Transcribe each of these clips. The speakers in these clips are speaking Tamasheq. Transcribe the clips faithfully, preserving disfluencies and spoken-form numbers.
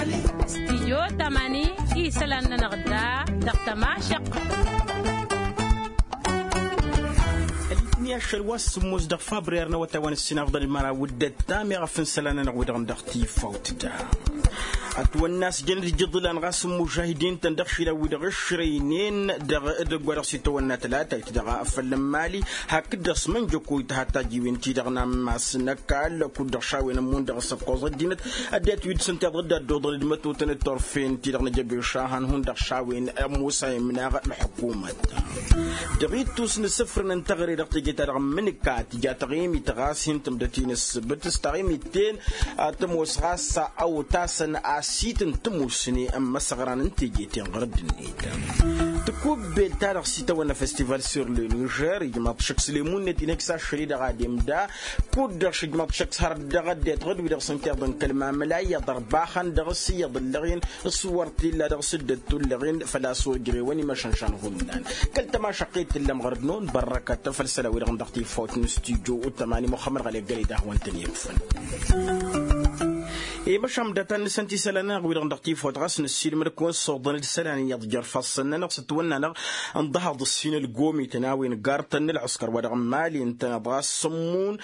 Stidyo tamani isălan-nănăɣ da dăɣ-tămašăq. Ălitni ašăl wa s-sǝmmos dăɣ-fabrer n-awătay wa n-ǝssin afḍăn d-măraw d-ăttam i-ɣăf n-isălan-nănăɣ wi-dăɣ n-dăɣ-tifawt da. Ătwănna a-s jăn-dd ijǝḍlan ɣas n-imužahidin-tăn dăɣ-išilan wi-dăɣ ǝšrăynen dăɣ-edăgg wa dăɣ-s itawănna tălatayt dăɣ-afăl n-imali hakd-dăɣ s-mănjăkoy tăha tajiwen-ti-dăɣ n-ammas n-ăkall kud-dăɣ šawen ămmun dăɣ-s ăkkoẓ ăddinăt. Ăddinăt wi dăɣ-săn tiḍăɣ dd-ad-dd-oḍăl d-mătotăn d-turfen-ti-dăɣ n-ajăbeš a han-hun-dăɣ šawen ămoos a imnaɣ ălḥukumăt. Dăɣ-ittus n-asǝfrǝn n-teɣăre dăɣ-teje-ta-dăɣ n-imǝnǝka tǝja taɣimit ɣas hin-tǝmdăt-in ǝssǝbǝt s-taɣimit-ten. Tămoos ɣas a otasăn asitǝn tămusne n-imăsăɣran n-teje-ten ɣur-ăddinăt. Tăkubbelt-ta-dăɣ s-itawănna festival sur le niger ijmaḍ-t šăkk s-lemun-net inhăj s-ašăl-i-dăɣ a demda. Kud-dăɣ šǝjmaḍ-t šăkk s-har dd-dăɣ ăddinăt ɣǝd-wi-dăɣ s-ǝnta iḍǝnkăl mamǝla iyyăḍ ărbaxăn dăɣ-s iyyăḍ ǝllăɣen s-wăr t-illa dăɣ-s dd-ăttullăɣen făl-a-s ojrewăn imăšănšan hullan. Kăl-tămašăqqet tǝllăm ɣărăd-năwăn bărrăkăt făll-isălan-wi-dăɣ n-dăɣ-tifawt n-studyo uttămani muxămmăd ɣăle ăggălăy d-ahwăn-tăn-i-ăkfăn. Imăšan data n-nǝsăn tisălan-nănăɣ wi-dăɣ n-dăɣ-tifawt ɣas nǝssiilmăd-kăwăn s-oḍăn d-isălan iyyăḍ jer-ifassăn-nănăɣ s-ătwănna-năɣ ǝnḍăhaḍ ǝssin ălgomităn a-wen gar-tăn n-ălɣǝskăr wa dăɣ-n mali ǝntăneḍ ɣas s-ămmun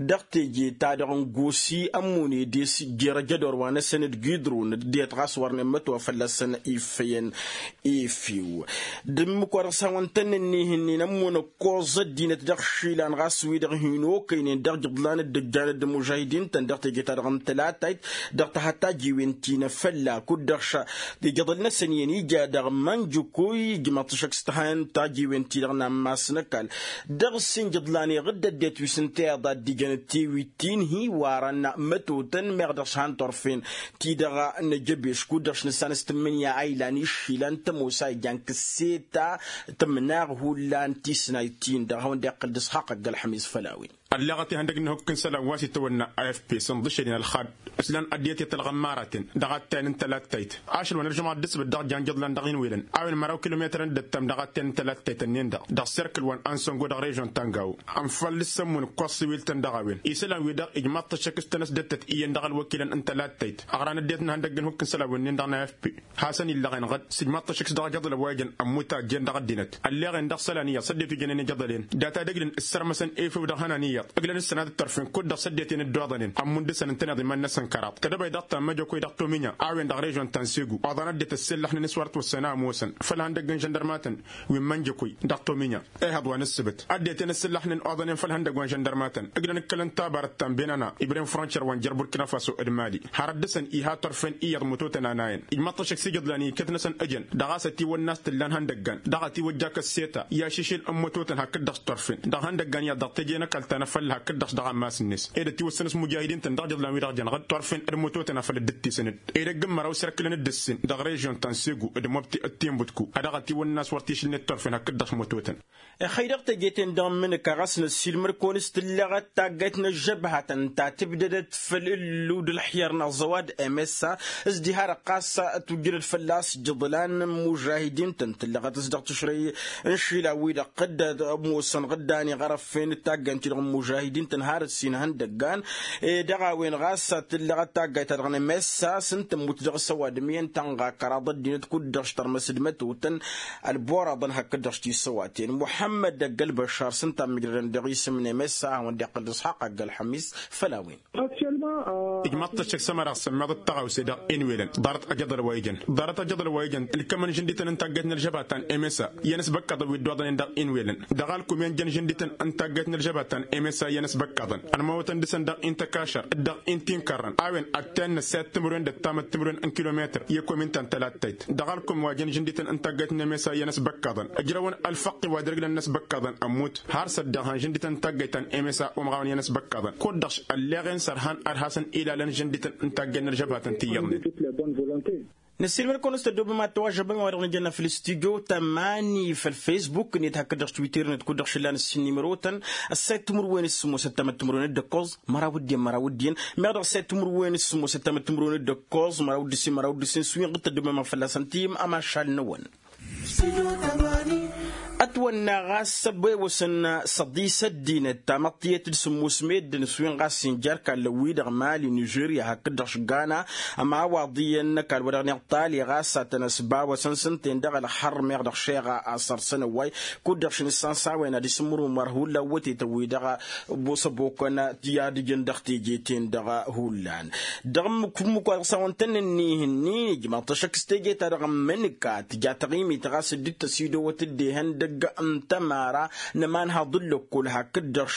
dăɣ-teje-ta-dăɣ n-gosi ămmun edes jer-ajădor wa-năsăn d-gidrun d-det ɣas wărnen mătwa fălla-săn iffăyăn. Efew d-ǝmmǝk wa dăɣ-s hawăn-tăn-ǝnnih-ǝnnin ămmun ăkkoẓ ăddinăt dăɣ-išilan ɣas wi-dăɣ hin-okăynen dăɣ-ijǝḍlan dd-ǝjjan d-imužahidin-tăn dăɣ-teje-ta-dăɣ n-tălatayt dăɣ-tăha tajiwen ti n-afălla kud-dăɣ ša ijăḍăl-năsăn iyyăn ija dăɣ-mănjǝkuy ijmaḍ-t šăkk s-tăhan tajiwen-ti-dăɣ n-ammas n-ăkall. Dăɣ-s injǝḍlan iɣǝdd ăddinăt wi s-ǝnta iyyăḍ a dd-ijăn d-tewit ti n-hi-iwarăn mătotăn meɣ dăɣ-s han turfen ti-dăɣ n-ajăbeš kud-dăɣ s-nǝssan s-tǝmmǝnǝya a ilan išilan tămoos a ijan kǝsseta tǝmnaɣ hullan tisnayt-in-dăɣ a hawăn-dd-iqqǝl d-isxaqq ăgg-ălxămis făll-a-wen. Ălleɣăt ihăndăg n-ihukk n-isălan wa s-itawănna a f p săn ḍǝšăden ălxad s-lan ăddinăt i-tălɣămmaraten dăɣ-attayăn n-tălattayt ašăl wa n-ălžămɣa dd-ǝsbǝt dăɣ-jan jăḍlan dăɣ-inwelăn a-wen măraw kilometărăn dd-ăttam dăɣ-attayăn n-tălattayt-ǝnnin-dăɣ dăɣ-serkǝl wa n-ansăngo dăɣ-režion tangawo. Ănfăl d-sămmun ǝkkoẓ siwil-tăn dăɣ-a-wen isălan-wi-dăɣ ijmaḍ-t ăššăk s-tănăsdăttăt iyyăn dăɣ-ălwăkilăn n-tălattayt ăɣran ăddinăt n-ihukk n-isălan-wi-nin-dăɣ n-a f p hasăn-illăɣen ɣǝd s-ijmaḍ-t ăššăk s-dăɣ-ajăḍăl ăwwayjăn ămmut a ăjjeen dăɣ-ăddinăt. Ălleɣen dăɣ-isălan iyyăḍ s-ăddinăt wi jănen ijăḍălen data d-ǝglǝn ǝssărmăsăn efew dăɣ-ihănan iyyăḍ ǝglăn ǝssănat d-tărfen kud-dăɣ s-ăddinăt-en dd-oḍănen ămmund dăr-săn ǝntăneḍ iman-năsăn kăraḍ tedăbay dăɣ-tammăjăkoy dăɣ-tominya a-wen dăɣ-režion ta n-segu oḍan ăddinăt ăssellăxnen s-wăr t-wăssăn a ămoosăn făll-ihăndăgg n-žăndărmatăn wi n-mănjăkoy dăɣ-tominya. Ehăḍ wa n-ǝssǝbǝt ăddinăt-en ǝssǝllăxnen oḍănen făll-ihăndăgg wa n-žăndărmatăn ǝglăn ǝkkălăn tabarăt ta n-benana ibrem frontier wa n-jer-burkina faso d-mali har ăddăsăn iha turfen iyyăḍ mătotăn a nayăn ijmăḍ-t ăššăk s-ijǝḍlan i-iket-năsăn ăjăn dăɣ-a-s ătiwănna a-s t-ǝllan ihăndăggan dăɣ-ătiwăjja kăsseta i-ašǝšil n-mătotăn hakd-dăɣ s-turfen dăɣ-ihăndăggan iyyăḍ dăɣ-teje n-ăkall ta n-afălla hakd-dăɣ s-dăɣ-ammas-net ed ătiwăssăn s-mujahidin-tăn dăɣ-ijǝḍlan-wi-dăɣ jăn ɣǝd turfen d-mătotăn a făl dd-tisǝnăd edăgg n-măraw serkǝlăn d-ǝssin dăɣ-režion ta n-segu d-mobti d-tinbutku a dăɣ-ătiwănna a-s wăr t-išǝlnet turfen hakd-dăɣ s-mătotăn. Ixăy dăɣ-teje-ten-dăɣ n-imǝnǝka ɣas năssiilmăr-kăwăn s-tǝlleɣăt taggayt n-ăžžăbhatăn ta tǝbdădăt făll-ǝllu d-ălxiyăr n-aẓăwad msa s-diha-dăɣ ɣas tujjǝdăd fălla-s jǝḍlan n-imužahidin-tăn tǝlleɣăt s-dăɣ-tǝšrăy n-išilan-wi-dăɣ ɣǝddăd ămoosăn ɣǝddan iɣărăffen d-taggayt-ti-dăɣ n-imužahidin-tăn har ǝssin ihăndăggan. Ed dăɣ-a-wen ɣas tǝlleɣăt taggayt-ta-dăɣ n-msa s-ǝnta ămmut dăɣ-s ăwadǝm iyyăn tănɣa kăraḍ ăddinăt kud-dăɣ s-tărmăs d-mătotăn ălboraḍăn hakd-dăɣ s-tisăwaten muḥămmăd ăgg-ălbăššar s-ǝnta a mǝjrădăn dăɣ-isǝm n-emessa a hawăn-dd-iqqǝl d-isxaqq ăgg-ălxămis. Făll-a-wen. Ijmăḍ-t ăššăk s-ămăra s-ămmiḍăt tăɣawse dăɣ-inwelăn ḍarăt ajăḍăl wa ijăn ḍarăt ajăḍăl wa ijăn ǝlkămăn žǝndităn n-taggayt n-ălžăbha ta n-emessa iyyăn s-băkkăḍăn wi dd-oḍănen dăɣ-inwelăn dăɣ-alkum i-ănjăn žǝndităn n-taggayt n-ălžăbha ta n-emessa iyyăn s-băkkăḍăn ănmăwătăn dăɣ-săn dăɣ-intăkašăr d-dăɣ-intinkărrăn a-wen ăttayăn n-ăssayăt timǝrwen d-ăttamăt timǝrwen n-kilometăr i-ăkkomin ta n-tălattayt dăɣ-alkum wa jăn žǝndităn n-taggayt n-emessa iyyăn s-băkkăḍăn ǝjrăwăn ălfăqqi wa dăr-ǝglăn n-ăsbăkkăḍăn ămmut har s-ăddiɣ han žǝndităn n-taggayt ta n-emessa umɣawăn iyyăn s-băkkăḍăn kud-dăɣ ălleɣen sărhan ad-hasăn-ilalăn žǝndităn n-taggayt n-ălžăbhatăn ti iyyăḍnen. Năssiilmăd-kăwăn s-tăddoobăm ad-tăwažžăbăm i-wa-dăɣ nǝjănna făll-studyo tămani făll-facebook-net hakd-dăɣ twitter-net kud-dăɣ šǝllan ǝssin n-imărotăn ăssayăt timǝrwen s-sǝmmos ăttamăt timǝrwen d-ǝkkoẓ măraw d-iyyăn măraw d-iyyăn meɣ dăɣ-ăssayăt timǝrwen s-sǝmmos ăttamăt timǝrwen d-ǝkkoẓ măraw d-ǝssin măraw d-ǝssin s-wi n-ɣǝd tăddoobăm fălla-săn tiyǝm ămašal-năwăn. Studio tămani. Ătwănna ɣas ăbewăsăn săḍi s-ăddinăt tamăḍt tiyyăt d-sǝmmus meddǝn s-wi n-ɣas injar kallăn-wi-dăɣ mali nižerya hakd-dăɣ šgana. Ămawaḍ iyyăn n-ăkall wa dăɣ-niɣ tali ɣas a tăn-ăsbawăsăn s-ǝnta-en dăɣ-ălxărr meɣ dăɣ-šeɣa a săr-săn ăwway kud-dăɣ šinǝssan s-a-wen ad-isǝmmǝrǝw măr hullan wătetăn-wi-dăɣ ăbosăbokăn i-ad-ǝjǝn dăɣ-teje-ten-dăɣ. Hullan dăɣ-ǝmmǝk-ǝmmǝk wa dăɣ-s a-wăn tăn-ǝnni ihǝnnin ijmaḍ-t ăššăk s-teje-ta-dăɣ n-imǝnǝka tǝja taɣimit ɣas dd-tăsidăwăt dd-ehăn dăgg-n tămara n-ămanhaḍ n-lăkkol hakd-dăɣ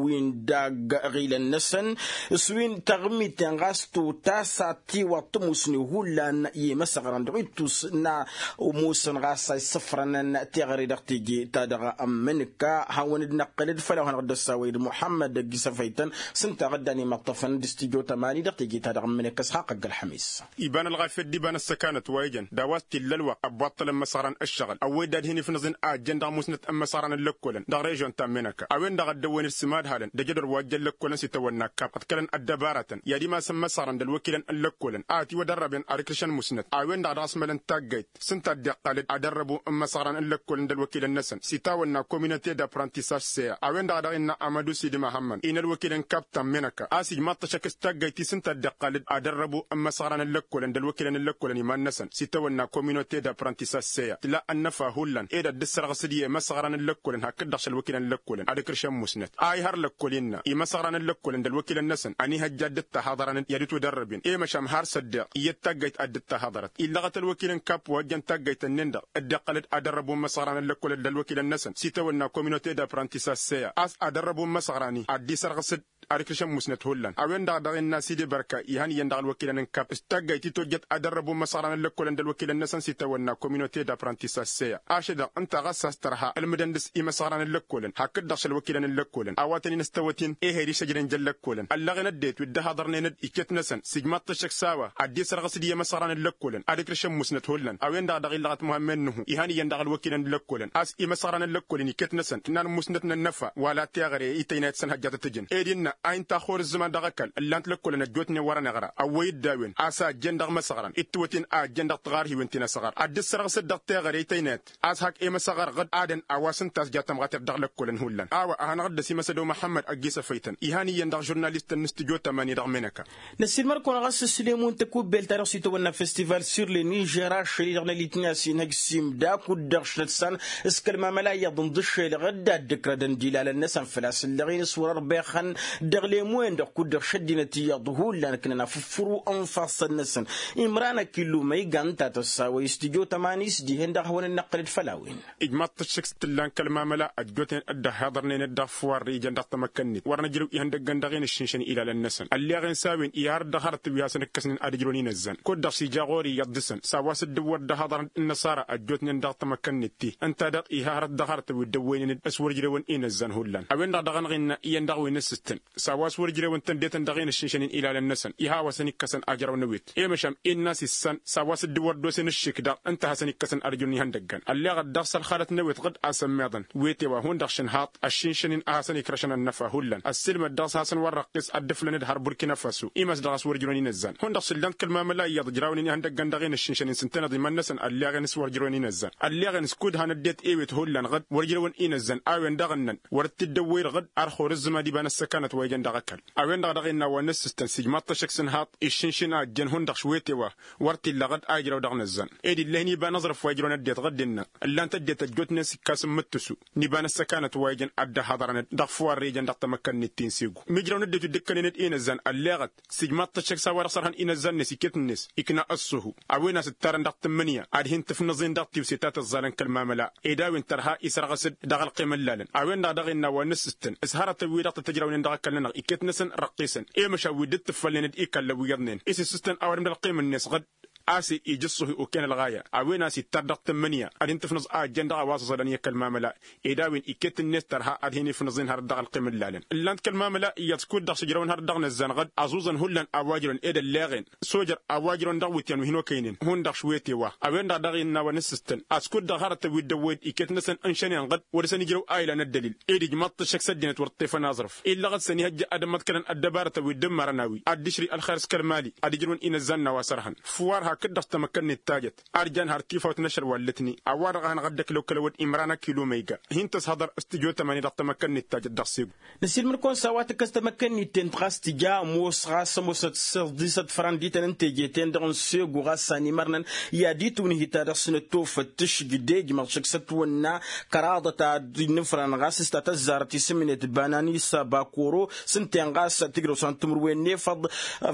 wi n-dagg ăɣilăn-năsăn s-wi n-taɣimit-en ɣas totas a tiwaḍ tămusne hullan i-imăsăɣrăn dăɣ-ittus n-a ămoosăn ɣas a issăfrănăn teɣăre dăɣ-teje-ta-dăɣ n-imǝnǝka. Hawăn-dd-năqqǝlăd făll-a-wa hanăɣ-dd-ăssawăy d-muḥămmăd ăgg-isăfăytăn s-ǝnta a ɣǝddan imăṭṭăfăn d-stujo tămani dăɣ-teje-ta-dăɣ n-imǝnǝka s-haqq ăgg-ălxămis. Iba n-ălɣafyăt d-iba n-ăssăkanăt wa ijăn d-a-wa s-t-illa ălwăqq ăbbuṭṭălăn imăsăɣran ǝššăɣǝl ăwwăy dd-ad-hin-ifnǝẓǝn a ăjjăn dăɣ-musnăt n-imăsăɣran n-lăkkolăn dăɣ-režyon ta n-menăka a-wen-dăɣ a dd-ăwwăyăn d-sǝmad halăn d-ejădor wa ǝjjăn lăkkolăn s-itawănna kap ăḍkălăn ăddăbaratăn i-ad-imasăn imăsăɣran d-ălwăkilăn n-lăkkolăn a ătiwădărrăben ad-ǝkrǝšăn musnăt a-wen-dăɣ dăɣ-s mălăn taggayt s-ǝnta a dd-iqqal d-ad-ărrăbu n-imăsăɣran n-lăkkolăn d-ălwăkilăn-năsăn s-itawănna communăte d-apprentissaj seya. A-wen-dăɣ a dăɣ-innă amădu sidi măhămmăn-i n-ălwăkilăn n-kaptan menăka a-s ijmaḍ-t ăššăk s-taggayt-i s-ǝnta a dd-iqqal d-ad-ărrăbu n-imăsăɣran n-lăkkolăn d-ălwăkilăn n-lăkkolăn iman-năsăn s-itawănna communăte d-apprentissaj seya tǝla ănnăfa hullan ed ad-dd-sărɣǝs d-i-imăsăɣran n-lăkkolăn hakd-dăɣ šălwăkilăn n-lăkkolăn ad-ǝkrǝšăn musnăt a ihăr lăkkol innă imăsăɣran n-lăkkolăn d-ălwăkilăn-năsăn ănihăjja ad-dd-tahaḍărăn i-ad-ǝtwădărrăben i-măšan har s-ăddeɣ iyyăt taggayt ad-dd-tahaḍărăt illăɣăt ălwăkil n-kap wa ăjjăn taggayt-ǝnnin-dăɣ dd-iqqăl-dd ad-ărrăbu n-imăsăɣran n-lăkkolăn d-ălwăkilăn-năsăn s-itawănna communăte d-apprentissaj seya a-s ad-ărrăbu n-imăsăɣran-i ad-dd-isărɣǝs-dd ad-ǝkrǝšăn musnăt hullan a-wen-dăɣ dăɣ-innă sidi bărka ihăn iyyăn dăɣ-ălwăkilăn n-kap s-taggayt ti tojjăt ad-ărrăbu n-imăsăɣran n-lăkkolăn d-ălwăkilăn-năsăn s-itawănna communăte d-apprentissaj seya ašăl-dăɣ ǝnta ɣas a-s tărha ǝlmǝdăn dăɣ-s imăsăɣran n-lăkkolăn hakd-dăɣ šălwăkilăn n-lăkkolăn a-wa tăn-in-ăstăwăt-in ehăy d-išăjrăn jăn lăkkolăn ăllăɣen ăddinăt wi dd-ăhaḍărnen d-iket-năsăn s-ijmaḍ-t ăššăk s-a-wa ad-dd-isărɣǝs d-i-imăsăɣran n-lăkkolăn ad-ǝkrǝšăn musnăt hullan a-wen-dăɣ dăɣ-illăɣăt muhămmed n-ihu ihăn iyyăn dăɣ-ălwăkilăn n-lăkkolăn a-s imăsăɣran n-lăkkolăn iket-năsăn tǝnnan musnăt n-ănnăfa wala teɣăre i-tăynayăt s-ănhăjja tăt-ǝjǝn ed innă a inta xor ǝzzǝman dăɣ-ăkall ǝllan-t lăkkolăn ăjjootnen wăr-ăniɣra ăwwăy-dd a-wen a-s a ăjjeen dăɣ-imăsăɣran d-tiwătin a ăjjeen dăɣ-tiɣarhiwen ti n-asăɣar ad-dd-sărɣǝsăt dăɣ-teɣăre i-tăynayăt a-s hak i-imăsăɣar ɣǝd adăn a-wa s-ǝnta a-s ja tămɣater dăɣ-lăkkolăn hullan a-wa a hanăɣ-dd-ăsimăsăd omăhămmăd ăgg-isăfăytăn ihăn iyyăn dăɣ-žurnalist n-stujo tămani dăɣ-menăka. Năssiilmăr-kăwăn ɣas s-lemu n-tăkubbelt-ta-dăɣ s-itawănna festival sur le nižer ašăl-i-dăɣ n-alitni a-s inhăj simda kud-dăɣ šăt s-an s-kăl-mamăla iyyăḍ n-dd-ǝššelăɣ dd-ad-dd-ǝkrădăn d-ilalăn-năsăn făl-a-s ǝlleɣ-in s-wăr-ărbexăn dăɣ-lemu-en-dăɣ kud-dăɣ šăddinăt iyyăḍ hullan ǝknăn afǝffǝru n-ifassăn-năsăn. Imran ăkillu ma iga ǝnta a tăssawăy s-tijo tămanis dihen-dăɣ a hawăn-dd-năqqǝlăd făll-a-wen. Ijmaḍ-t ăššăk s-t-ǝllan kăl-mamăla ăjjootnen dd-ăhhiḍărnen-dd dăɣ-fuwarre ijăn dăɣ-tamăkkănnit wăr nǝjrǝw ihăndăggăn dăɣ-enǝššǝnšăn ilalăn-năsăn ălleɣ-en s-a-wen i-harăt dăɣ-harătăn wi hasăn-ǝkkăsnen ad-ǝjrǝwăn inăzzan kud-dăɣ s-ija ɣur-i iyyăḍ dăɣ-săn s-a-wa s-dd-ǝwwăr dd-ăhaḍărăn d-inăṣara ăjjootnen dăɣ-tamăkkănnit-ti ǝnta-dăɣ iha hărăt dăɣ-harătăn wi dd-ăwwăynen d-s-wăr ǝjrewăn inăzzan hullan a-wen-dăɣ daɣ ănɣinna iyyăn dăɣ-wi n-ǝssǝstăn s-a-wa s-wăr ǝjrewăn tăndetăn dăɣ-enǝššǝnšăn-in ilalăn-năsăn iha a-wa s-ănikkăsăn ajrăw n-ewet i-măšan innă a-s issan s-a-wa s-dd-wăr dd-osen ǝššǝk daɣ ǝnta a hasăn-ikkăsăn ad-ǝjrǝwăn ihăndăggăn ălleɣăt daɣ s-ălxalăt n-ewet ɣǝd a-s ămmiḍăn wete wa hundăɣ šǝnhaḍ ăššǝnšăn-in a hasăn-ikrăšăn ănnăfa hullan ăssiilmăd daɣ s-hasăn-wăr-răqqis ad-dd-ǝflăn d-har burkina faso i-măs dăɣ-a-s wăr ǝjrǝwăn inăzzan hundăɣ s-ǝllan-t kăl-mamăla iyyăḍ ǝjrawnen ihăndăggăn dăɣ-enǝššǝnšăn-in s-ǝntăneḍ iman-năsăn ălleɣ-en s-wăr ǝjrǝwăn inăzzan ălleɣ-en s-kud han ăddinăt ewet hullan ɣǝd wăr ǝjrǝwăn inăzzan a-wen-dăɣ ǝnnăn wăr dd-tǝddăwwăy d-ɣǝd ar xor ǝzzǝma d-iba n-ăssăkanăt wa ijăn dăɣ-ăkall a-wen-dăɣ daɣ innă a-wa n-ǝssǝstăn s-ijmaḍ-t ăššăk s-ǝnhaḍ iššǝnšǝn a ăjjeen hundăɣ šwete wa wăr t-illa ɣǝd a ijrăw dăɣ-inăzzan ed ill'-e-hin iba n-aẓrǝf wa ijrăwăn ăddinăt ɣǝd innă ǝllan-t ăddinăt ăjjootnen s-ikkas n-imǝttǝsu n-iba n-ăssăkanăt wa ijăn ad-dd-ăhaḍărăn-dd dăɣ-fuwarre ijăn dăɣ-tamăkkănnit ti n-segu mijrăw n-ăddinăt wi dd-ǝkkănen d-inăzzan ălleɣăt s-ijmaḍ-t ăššăk s-a-wa-dăɣ sărhăn inăzzan-net iket-net ikna ăṣṣuhu a-wen a-s ǝttarăn dăɣ-tǝmmǝnǝya ad-hin-tǝfnǝẓ-in dăɣ-tiwse ta tăẓẓalăn kăl-mamăla ed a-wen tărha isărɣǝs-dd dăɣ-ălqim n-ilalăn a-wen-dăɣ daɣ innă a-wa n-ǝssǝstăn s-hărătăn-wi-dăɣ tăt-ǝjrawnen dăɣ-ăkall-nănăɣ iket-năsăn răqqisăn i-măšan wi dd-tǝffălnen d-ikallăn wi iyyăḍnen isǝssǝstăn ăwadǝm d-ălqim-net ɣǝd a-s ija ǝṣṣuhi oken ălɣaya a-wen a-s ittar dăɣ-tǝmmǝnǝya ad-hin-tǝfnǝẓ a ăjjeen dăɣ-a-wa s-ăẓălăn i-kăl-mamăla ed a-wen iket-net tărha ad-hin-ifnǝẓ-in hărăt dăɣ-ălqim n-ilalăn ǝllan-t kăl-mamăla iyyăḍ s-kud-dăɣ s-ǝjrăwăn hărăt dăɣ-inăzzan ɣǝd ăẓuẓăn hullan a-wa ǝjrăwăn ed ălleɣen sojăr a-wa ǝjrăwăn dăɣ-iwǝtyan wi hin-okăynen hundăɣ šwete wa a-wen-dăɣ daɣ innă a-wa n-ǝssǝstăn a-s kud-dăɣ hărătăn wi dd-ăwwăy-dd iket-năsăn ǝnšănen ɣǝd wăr dăr-săn ijrăw a ilan ăddălil ed ijmaḍ-t ăššăk s-ăddinăt wăr t-tefăn aẓrǝf illăɣ-dd s-ănihăjja ad-ămmăḍkălăn ăddăbarătăn wi dd-ǝmmărăn a-wi ad-dd-ǝšri ălxer s-kăl-mali ad-ǝjrǝwăn inăzzan n-a-wa sărhăn fwar ha Kăt-dăɣ s-tamăkkăl n-ittajăt arjan har tifawt n-ašăl wa ǝllătnen a-wa-dăɣ a hanăɣ-ăddăkǝl okălăwăd imran ăkilo ma iga hin-tăshăḍăr s-tijo tămani dăɣ-tamăkkăl n-ittajăt dăɣ-segu. Năsiilmăd-kăwăn s-a-wa tǝkkăs tamăkkăl n-ittent ɣas tǝja ămoos ɣas ămoosăt s-ăḍisăt fărăn d-ităn n-teje-ten-dăɣ n-segu ɣas a n-imărnăn i-ad-itwǝnhǝy-ta-dăɣ s-nătofăt tǝšjǝj d-ejmăɣ šăkk s-ătwănna kăraḍăt ad-innǝfrăn ɣas s-ta tăzzarăt isǝmnet banan isabakoro s-ǝnta-en ɣas tǝjrăw s-han timǝrwen n-efăḍ.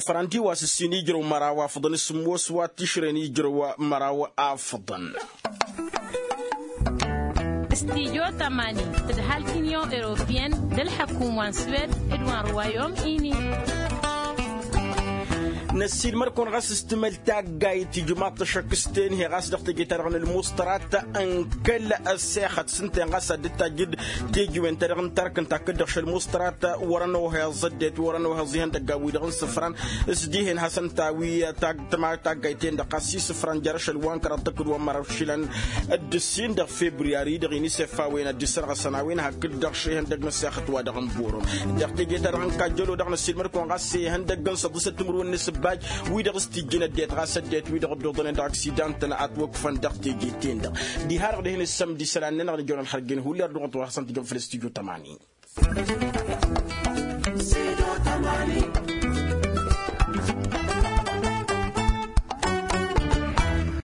Fărăn-di wa s-ǝssin ijrăw măraw afǝḍăn s-ămoos wa t-išrăyăn ijrăw măraw afǝḍăn. S-tijo tămani tǝdhal t-inyon europeyăn d-ălḥăkum wa n-swed d-wa n-ruwayom ini. Năssiilmăd-kăwăn ɣas s-timăl taggayt ijmaḍ-t ašăk s-tenhe ɣas dăɣ-teje-ta-dăɣ n-ălmuṣtărat n-kăl ăssexăt s-ǝnta-en ɣas ad-dd-tajjǝd tejiwen-ta-dăɣ n-tark ǝnta a kăl-dăɣ šăl muṣtărat wăr-ănoheẓ ăddinăt wăr-ănoheẓ ihăndăggan-wi-dăɣ n-isǝfran s-dihen hasăn-tawi. Taggayt-en-dăɣ ɣas isǝfran jer-ašăl wa n-kăraḍ tăkǝd wa n-măraw išilan d-ǝssin dăɣ-febriyari-dăɣ inisef a-wen ad-dd-issărɣăsăn a-wen hakd-dăɣ šihăndăg n-ăssexăt wa dăɣ-n borom. Dăɣ-teje-ta-dăɣ n-kajjălo-dăɣ năssiilmăd-kăwăn ɣas ihăndăgg n-săḍisăt timǝrwen n-asǝbbaj wi-dăɣ s-tijjǝn ăddinăt ɣas ăddinăt wi-dăɣ dd-oḍănen dăɣ-aksidan-tăn ătwăkfăn dăɣ-teje-ten-dăɣ. Diha-dăɣ dihen ǝssămdi isălan-nănăɣ n-ijăwăn ălxărjăn hulli ărdăɣăt wa hasăn-t-ijăn făll-s tijo tămani.